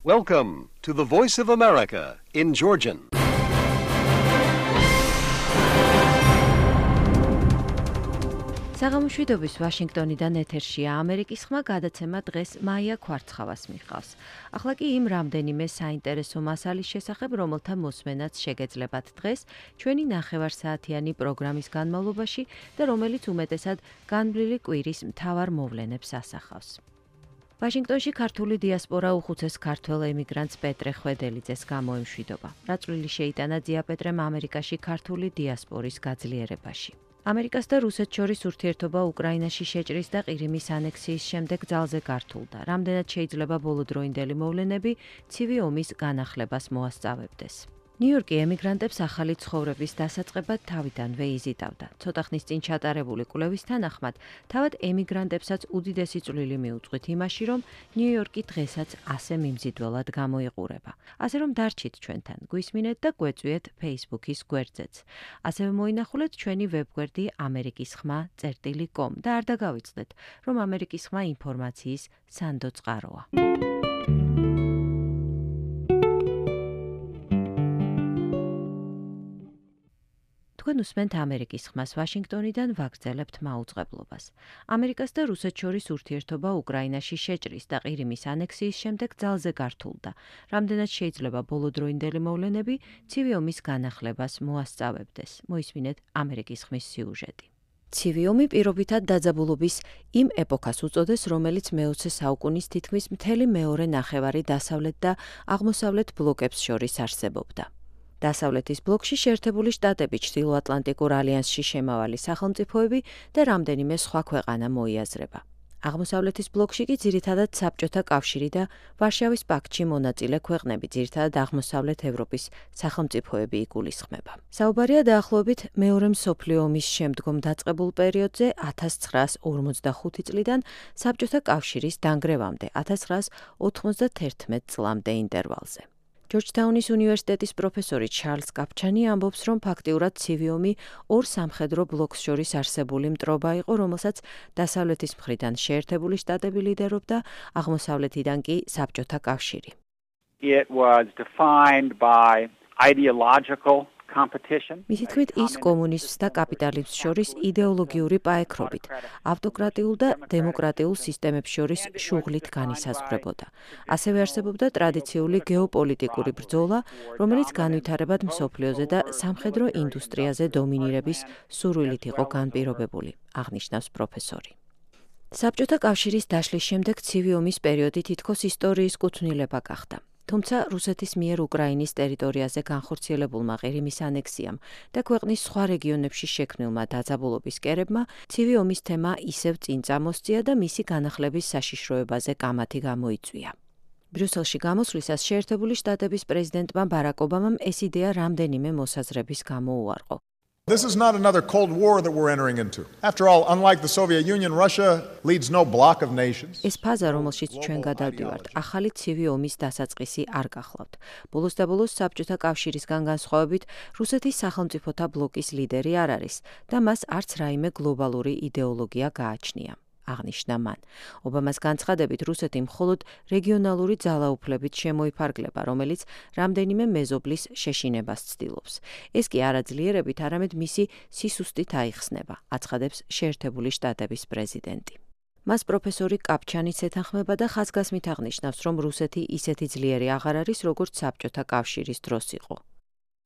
Welcome to the Voice of America in Georgian. საღამოშვიდობის ვაშინგტონიდან ეთერშია ამერიკის ხმა გადაცემა დღეს მაია ქვარცხავას მიჰყავს. ახლა კი იმ რამდენიმე საინტერესო მასალის შესახებ, რომელთა მოსმენაც შეგეძლებათ დღეს ჩვენი ნახევარსაათიანი პროგრამის განმავლობაში და რომელიც უმეტესად განვლილი კვირის მთავარ მოვლენებს ასახავს. ვაშინგტონში ქართული დიასპორა უხუცეს ქართველ ემიგრანტს პეტრე ხვედელიძეს გამოემშვიდობა. რა წვლილი შეიტანა ძია პეტრემ ამერიკაში ქართული დიასპორის გაძლიერებაში. ამერიკას და რუსეთს შორის ურთიერთობა უკრაინაში შეჭრის და ყირიმის ანექსიის შემდეგ ძალზე გართულდა. რამდენად შეიძლება ბოლოდროინდელი მოვლენები ცივი ომის განახლებას მოასწავებდეს. ნიუ-იორკი ემიგრანტებს ახალი ცხოვრების დასაწყებად თავიდანვე იზიდავდა. ცოტა ხნის წინ ჩატარებული კვლევის თანახმად, თავად ემიგრანტებსაც უდიდესი წვლილი მიუძღვით იმაში, რომ ნიუ-იორკი დღესაც ასე მიმზიდველად გამოიყურება. ასე რომ დარჩით ჩვენთან, გვისმინეთ და გვეწვიეთ Facebook-ის გვერდზეც. ასევე მოინახულეთ ჩვენი ვებგვერდი amerikisxma.com და არ დაგავიწყდეთ, რომ ამერიკის ხმა ინფორმაციის სანდო წყაროა. თქვენ უსმენთ ამერიკის ხმას ვაშინგტონიდან ვაგრძელებთ მაუწყებლობას. ამერიკას და რუსეთს შორის ურთიერთობა უკრაინაში შეჭრის და ყირიმის ანექსიის შემდეგ ძალზე გართულდა. რამდენად შეიძლება ბოლოდროინდელი მოვლენები ცივი ომის განახლებას მოასწავებდეს. მოისმინეთ ამერიკის ხმის სიუჟეტი. ცივი ომი პირობითად დაძაბულობის იმ ეპოქას უწოდეს, რომელიც მე-20 საუკუნის თითქმის მთელი მეორე ნახევარი დასავლეთ და აღმოსავლეთ ბლოკებს შორის არსებობდა. დასავლეთის ბლოკში შეერთებული შტატები, ჩრდილოატლანტიკურ ალიანსში შემავალი სახელმწიფოები და რამდენიმე სხვა ქვეყანა მოიაზრება. აღმოსავლეთის ბლოკში კი ძირითადად საბჭოთა კავშირი და ვარშავის პაქტში მონაწილე ქვეყნები, ძირითადად აღმოსავლეთ ევროპის სახელმწიფოები იგულისხმება. საუბარია დაახლოებით მეორე მსოფლიო ომის შემდგომ დაწყებულ პერიოდზე 1945 წლიდან საბჭოთა კავშირის დანგრევამდე 1991 წლამდე ინტერვალზე. ჯორჯთაუნის უნივერსიტეტის პროფესორი ჩარლზ კაპჩანი ამბობს, რომ ფაქტიურად ცივი ომი ორ სამხედრო ბლოკს შორის არსებული მტრობა იყო, რომელსაც დასავლეთის მხრიდან შეერთებული შტატები ლიდერობდა, აღმოსავლეთიდან კი საბჭოთა კავშირი. It was defined by ideological competition. მისი თქმით, ის კომუნიზმს და კაპიტალიზმს შორის იდეოლოგიური პაექრობით, ავტოკრატიულ და დემოკრატიულ სისტემებს შორის შუღლით განისაზღვრებოდა. ასევე არსებობდა ტრადიციული გეოპოლიტიკური ბრძოლა, რომელიც განვითარებად მსოფლიოზე და სამხედრო ინდუსტრიაზე დომინირების სურვილით იყო განპირობებული, აღნიშნავს პროფესორი. საბჭოთა კავშირის დაშლის შემდეგ ცივი ომის პერიოდი თითქოს ისტორიის კუთვნილება გახდა. თუმცა რუსეთის მიერ უკრაინის ტერიტორიაზე განხორციელებულმა ყირიმის ანექსიამ და ქვეყნის სხვა რეგიონებში შექმნილმა დაძაბულობის კერებმა ცივი ომის თემა ისევ წინ წამოსწია და მისი განახლების საშიშროებაზე კამათი გამოიწვია. ბრიუსელში გამოსვლისას შეერთებული შტატების პრეზიდენტმა ბარაკ ობამამ ეს იდეა რამდენიმე მოსაზრების გამო უარყო. This is not another Cold War that we're entering into. After all, unlike the Soviet Union, Russia leads no bloc of nations. ეს ფაზა, რომელშიც ჩვენ გადავდივართ, ახალი ცივი ომის დასაწყისი არ გახლავთ. ბოლოს და ბოლოს საბჭოთა კავშირისგან განსხვავებით, რუსეთის სახელმწიფოთა ბლოკის ლიდერი არ არის და მას არც რაიმე გლობალური იდეოლოგია გააჩნია. აღნიშნა მან. ობამას განცხადებით, რუსეთი მხოლოდ რეგიონალური ძალაუფლებით შემოიფარგლება, რომელიც რამდენიმე მეზობლის შეშინებას ცდილობს. ეს კი არაძლიერებით, არამედ მისი სისუსტით აიხსნება, აცხადებს შეერთებული შტატების პრეზიდენტი. მას პროფესორი კაპჩანიც ეთანხმება და ხაზგასმით აღნიშნავს, რომ რუსეთი ისეთი ძლიერი აღარ არის, როგორც საბჭოთა კავშირის დროს იყო.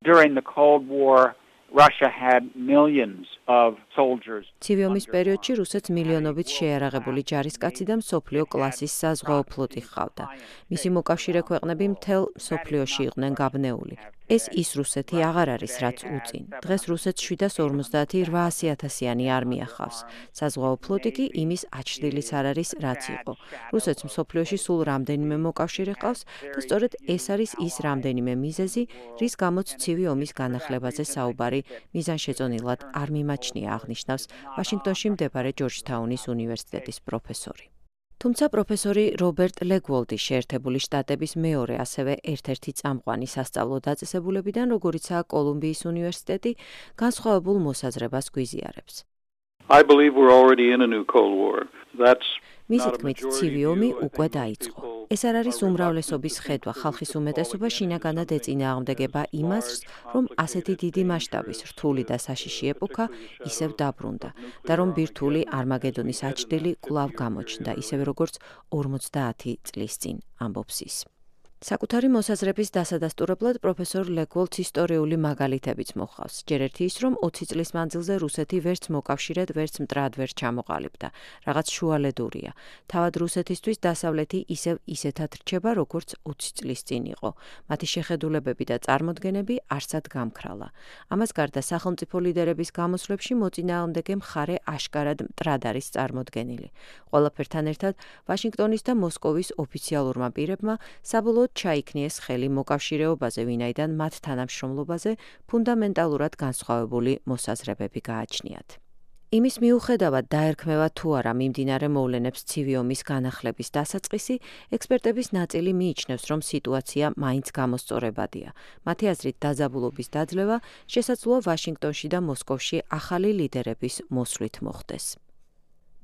During the Cold War, Russia had millions of soldiers. ცივი ომის პერიოდში რუსეთს მილიონობით შეიარაღებული ჯარისკაცი და მსოფლიო კლასის საზღვაო ფლოტი ჰყავდა. მისი მოკავშირე ქვეყნები მთელ მსოფლიოში იყვნენ გაბნეული. ეს ის რუსეთი აღარ არის, რაც უწინ. დღეს რუსეთს 750-800-იანი არმია ჰყავს. საზღვაო ფლოტი კი იმის აჩრდილიც არ არის, რაც იყო. რუსეთს მსოფლიოში სულ რამდენიმე მოკავშირე ჰყავს და სწორედ ეს არის ის რამდენიმე მიზეზი, რის გამოც ცივი ომის განახლებაზე საუბარი მიზანშეწონილად არ მიმაჩნია, აღნიშნავს ვაშინგტონში მდებარე ჯორჯთაუნის უნივერსიტეტის პროფესორი. თუმცა პროფესორი რობერტ ლეგვოლდი შეერთებული შტატების მეორე, ასევე ერთ-ერთი წამყვანი სასწავლო დაწესებულებიდან, როგორიცაა კოლუმბიის უნივერსიტეტი, განსხვავებულ მოსაზრებას გვიზიარებს. I believe we're already in a new Cold War. That's მისი თქმით, ცივი ომი უკვე დაიწყო. ეს არ არის უმრავლესობის ხედვა, ხალხის უმეტესობა შინაგანად ეწინააღმდეგება იმას, რომ ასეთი დიდი მასშტაბის რთული და საშიში ეპოქა ისევ დაბრუნდა და რომ ბირთვული არმაგედონის აჩრდილი კვლავ გამოჩნდა, ისევე როგორც 50 წლის წინ, ამბობს ის. საკუთარი მოსაზრების დასადასტურებლად პროფესორ ლეგოლდს ისტორიული მაგალითებიც მოჰყავს. ჯერ ერთი ის, რომ 20 წლის მანძილზე რუსეთი ვერც მოკავშირედ, ვერც მტრად ვერ ჩამოყალიბდა. რაღაც შუალედურია. თავად რუსეთისთვის დასავლეთი ისევ ისეთად რჩება, როგორც 20 წლის წინ იყო. მათი შეხედულებები და წარმოდგენები არსად გამქრალა. ამას გარდა სახელმწიფო ლიდერების გამოსვლებში მოწინააღმდეგე მხარე აშკარად მტრად არის წარმოდგენილი. ყველაფერთან ერთად ვაშინგტონის და მოსკოვის ოფიციალურმა პირებმა საბოლოოდ ჩაიქნიეს ხელი მოკავშირეობაზე, ვინაიდან მათ თანამშრომლობაზე ფუნდამენტალურად განსხვავებული მოსაზრებები გააჩნიათ. იმის მიუხედავად დაერქმევა თუ არა მიმდინარე მოვლენებს ცივი ომის განახლების დასაწყისი, ექსპერტების ნაწილი მიიჩნევს, რომ სიტუაცია მაინც გამოსწორებადია. მათი აზრით, დაძაბულობის დაძლევა შესაძლოა ვაშინგტონში და მოსკოვში ახალი ლიდერების მოსვლით მოხდეს.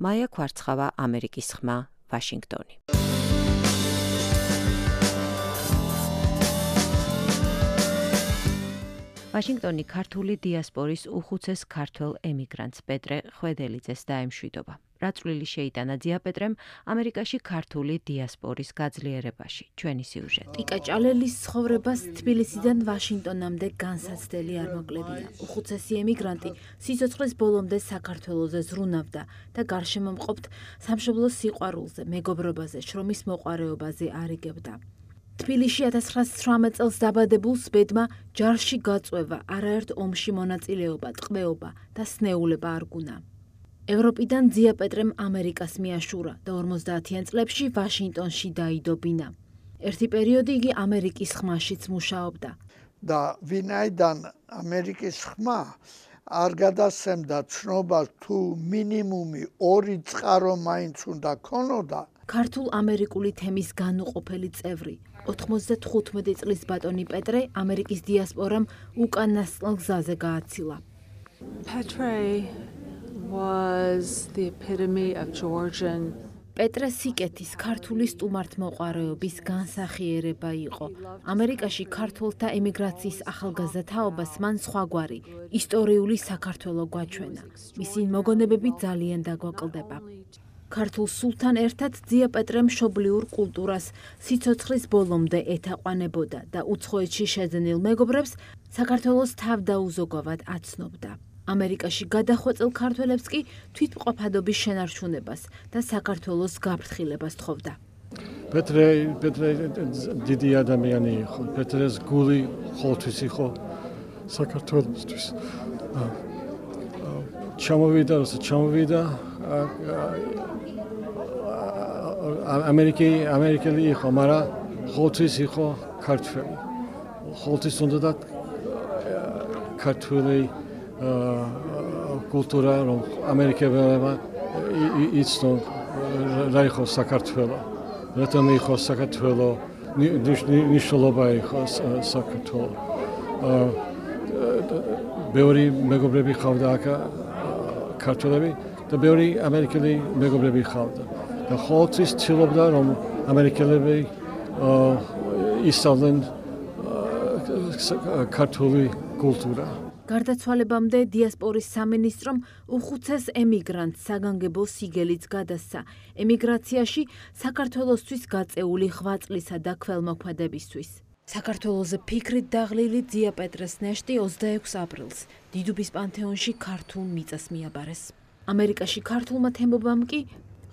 მაია ქვარცხავა, ამერიკის ხმა, ვაშინგტონი. ვაშინგტონი ქართული დიასპორის უხუცეს ქართველ ემიგრანტს პეტრე ხვედელიძეს დაემშვიდობა. რა წვლილი შეიტანა დიაპეტრემ ამერიკაში ქართული დიასპორის გაძლიერებაში? ჩვენი სიუჟეტი. ტიკა ჭალელის ცხოვრებას თბილისიდან ვაშინგტონამდე განსაცდელი არ მოკლებია. უხუცესი ემიგრანტი სიცოცხლის ბოლომდე საქართველოზე ზრუნავდა და გარშემო მყოფთ სამშობლოს სიყვარულზე, მეგობრობაზე, შრომის მოყვარეობაზე არიგებდა. თბილისში 1918 წელს დაბადებულს ბედმა ჯარში გაწვევა, არაერთ ომში მონაწილეობა, ტყვეობა და სნეულება არ გუნა. ევროპიდან დიაპეტრემ ამერიკას მიაშურა და 50-იან წლებში ვაშინგტონში დაიდობინა. ერთი პერიოდი იგი ამერიკის ხმაშიც მუშაობდა. და ვინაიდან ამერიკის ხმა არ გადასცემდა ცნობას თუ მინიმუმი 2 წყარო მაინც უნდა ქონოდა, ქართულ-ამერიკული თემის განუყოფელი წევრი, 95 წლის ბატონი პეტრე ამერიკის დიასპორამ უკანასკნელ გზაზე გააცილა. Petre was the epitome of Georgian. პეტრე სიკეთის ქართული სტუმართმოყვარეობის განსახიერება იყო. ამერიკაში ქართველთა ემიგრაციის ახალგაზრდა თაობას მან სხვაგვარი ისტორიული საქართველო გვაჩვენა. მისი მოგონებები ძალიან დაგვაკლდება. ქართულ სულთან ერთად დიაპეტრე მშობლიურ კულტურას სიცოცხლის ბოლომდე ეთაყვანებოდა და უცხოეთში შეძენილ მეგობრებს საქართველოს თავდაუზოგავად აცნობდა. ამერიკაში გადახვეწილ ქართველებს კი თვითმყოფადობის შენარჩუნებას და საქართველოს გაფრთხილებას თხოვდა. პეტრე დიდი ადამიანი იყო. პეტრეს გული ყოველთვის იყო საქართველოსთვის. ჩამოვიდა ამერიკელი იყო, მაგრამ ყოველთვის იყო ქართველი. ყოველთვის უნდა ქართული კულტურა, რომ ამერიკელებმა იცნონ რა იყო საქართველო. რატომ იყო საქართველო, ნიშნულობა იყო საქართველო. ბევრი მეგობრები ხავდა აქ ქართველები და ბევრი ამერიკელი მეგობრები ხავდა. და ყოველთვის ცდილობდა, რომ ამერიკელები ისწავლენ ქართული კულტურა. გარდაცვალებამდე დიასპორის სამინისტრომ უხუცეს ემიგრანტს საგანგებო სიგელიც გადასცა ემიგრაციაში საქართველოსთვის გაწეული 8 წლისა და ქველმოქმედებისთვის. საქართველოზე ფიქრით დაღლილი დიაპეტრეს ნეშტი 26 აპრილს დიდუბის პანთეონში ქართულ მიწას მიაბარეს. ამერიკაში ქართულმა თემობამ კი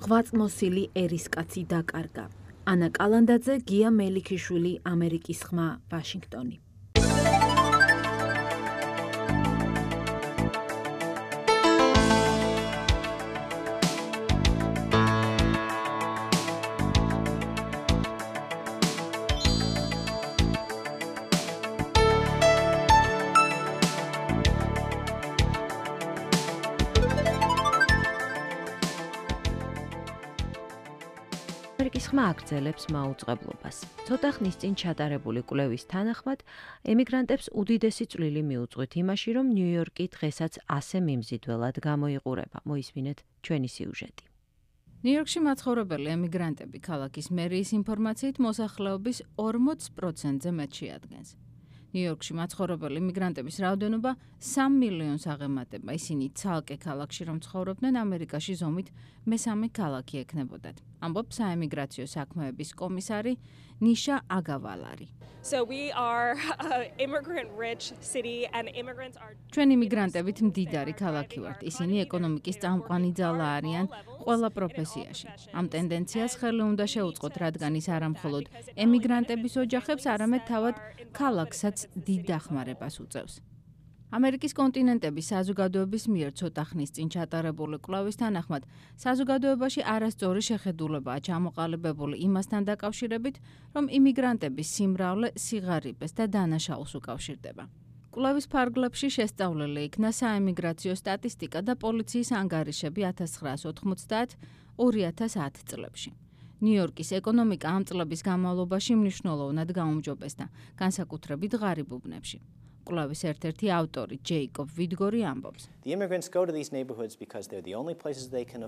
ღვაწმოსილი ერისკაცი დაკარგა. ანა კალანდაძე, გია მელიქიშვილი, ამერიკის ხმა, ვაშინგტონი. ამერიკის ხმა აგრძელებს მაუწყებლობას. ცოტა ხნის წინ ჩატარებული კვლევის თანახმად, ემიგრანტებს უდიდესი წვლილი მიუძღვით იმაში, რომ ნიუ-იორკი დღესაც ასე მიმზიდველად გამოიყურება. მოისმინეთ ჩვენი სიუჟეტი. ნიუ-იორკში მაცხოვრებელი ემიგრანტები ქალაქის მერიის ინფორმაციით მოსახლეობის 40%-ზე მეტ შეადგენს. ნიუ-იორკში მაცხოვრებელი ემიგრანტების რაოდენობა 3 მილიონს აღემატება. ისინი ცალკე ქალაქში რომ ცხოვრობდნენ, ამერიკაში ზომით მესამე ქალაქი ექნებოდათ. ამბობს საემიგრაციო საქმეების კომისარი ნიშა აგავალარი. ჩვენ იმიგრანტებით მდიდარი ქალაქი ვართ. ისინი ეკონომიკის წამყვანი ძალა არიან ყველა პროფესიაში. ამ ტენდენციას ხელი უნდა შეუწყოთ, რადგან ის არა მხოლოდ ემიგრანტების ოჯახებს, არამედ თავად ქალაქსაც დიდ დახმარებას უწევს. ამერიკის კონტინენტების საზოგადოების მიერ ცოტა ხნის წინ ჩატარებული კვლევის თანახმად, საზოგადოებაში არასწორი შეხედულებაა ჩამოყალიბებული იმასთან დაკავშირებით, რომ იმიგრანტების სიმრავლე სიღარიბეს და დანაშაულს უკავშირდება. კვლევის ფარგლებში შესწავლილი იქნა საემიგრაციო სტატისტიკა და პოლიციის ანგარიშები 1990-2010 წლებში. ნიუ-იორკის ეკონომიკა ამ წლების განმავლობაში მნიშვნელოვნად გაუმჯობესდა, განსაკუთრებით ღარიბ უბნებში. კვლევის ერთ-ერთი ავტორი ჯეიკობ ვიდგორი ამბობს.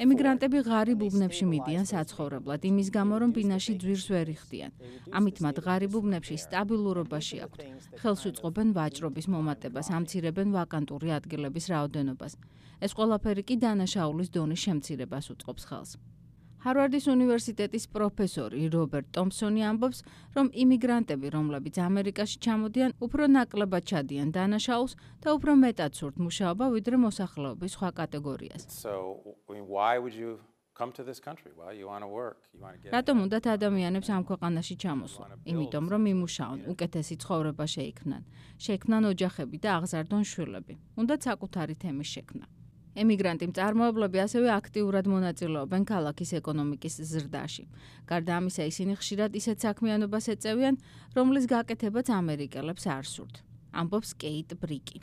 ემიგრანტები ღარიბ უბნებში მიდიან საცხოვრებლად, იმის გამო, რომ ბინაში ძვირს ვერ იხდიან. ამით მათ ღარიბ უბნებში სტაბილურობაში აქვთ. ხელს უწყობენ ვაჭრობის მომატებას, ამცირებენ ვაკანტური ადგილების რაოდენობას. ეს ყველაფერი კი დანაშაულის დონის შემცირებას უწყობს ხელს. ჰარვარდის უნივერსიტეტის პროფესორი რობერტ ტომპსონი ამბობს, რომ იმიგრანტები, რომლებიც ამერიკაში ჩამოდიან, უფრო ნაკლებად ჩადიან დანაშაულს და უფრო მეტად სურთ მუშაობა, ვიდრე მოსახლეობის სხვა კატეგორიას. რატომ უნდათ ადამიანებს ამ ქვეყანაში ჩამოსვლა? იმიტომ, რომ იმუშაონ, უკეთესი ცხოვრება შეიქმნან, შექმნან ოჯახები და აღზარდონ შვილები. უნდათ საკუთარი თემის შექმნა. ემიგრანტი მწარმოებლები ასევე აქტიურად მონაწილეობენ ქალაქის ეკონომიკის ზრდაში. გარდა ამისა, ისინი ხშირად ისეთ საქმიანობას ეწევიან, რომლის გაკეთებაც ამერიკელებს არ სურთ. ამბობს კეიტ ბრიკი.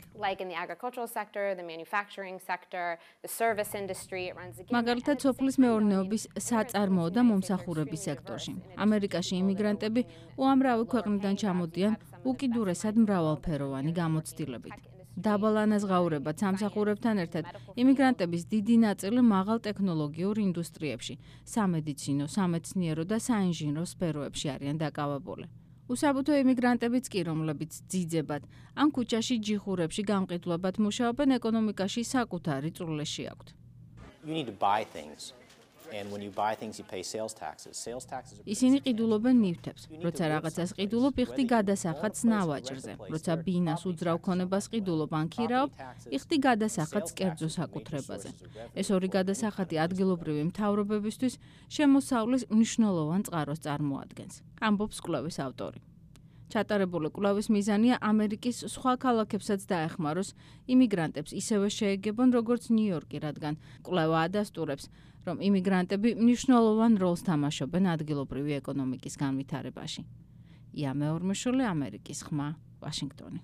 მაგალითად, სოფლის მეურნეობის საწარმოო და მომსახურების სექტორში. ამერიკაში იმიგრანტები უამრავი ქვეყნიდან ჩამოდიან უკიდურესად მრავალფეროვანი გამოცდილებით. დაბალ ანაზღაურებად სამსახურებთან ერთად იმიგრანტების დიდი ნაწილი მაღალ ტექნოლოგიურ ინდუსტრიებში, სამედიცინო, სამეცნიერო და საინჟინრო სფეროებში არიან დაკავებული. უსაბუთო იმიგრანტებიც კი, რომლებიც ძიძებად ან ქუჩაში ჯიხურებში გამყიდვლებად მუშაობენ, ეკონომიკაში საკუთარი წვლილი აქვთ. ისინი ყიდულობენ ნივთებს. როცა რაღაცას ყიდულობ, იხდი გადასახადს ნავაჭრზე. როცა ბინას უძრავ ქონებას ყიდულობ ან ქირაობ, იხდი გადასახადს კერძო საკუთრებაზე. ეს ორი გადასახადი ადგილობრივი მთავრობებისთვის შემოსავლის მნიშვნელოვან წყაროს წარმოადგენს. ამბობს კვლევის ავტორი. ჩატარებული კვლევის მიზანია ამერიკის სხვა ქალაქებსაც დაეხმაროს იმიგრანტებს ისევე შეეგებონ, როგორც ნიუ-იორკი, რადგან კვლევა ადასტურებს, რომ იმიგრანტები მნიშვნელოვან როლს თამაშობენ ადგილობრივი ეკონომიკის განვითარებაში. ია მეორმეშვილი, ამერიკის ხმა, ვაშინგტონი.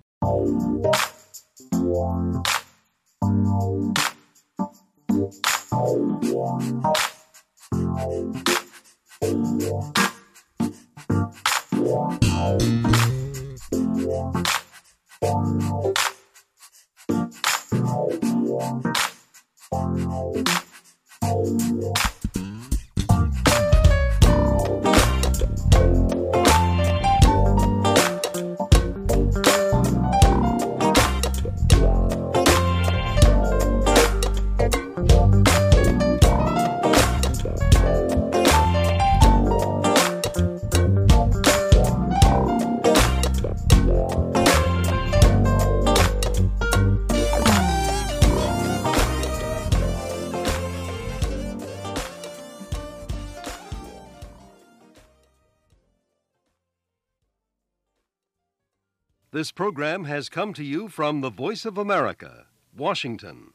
This program has come to you from the Voice of America, Washington.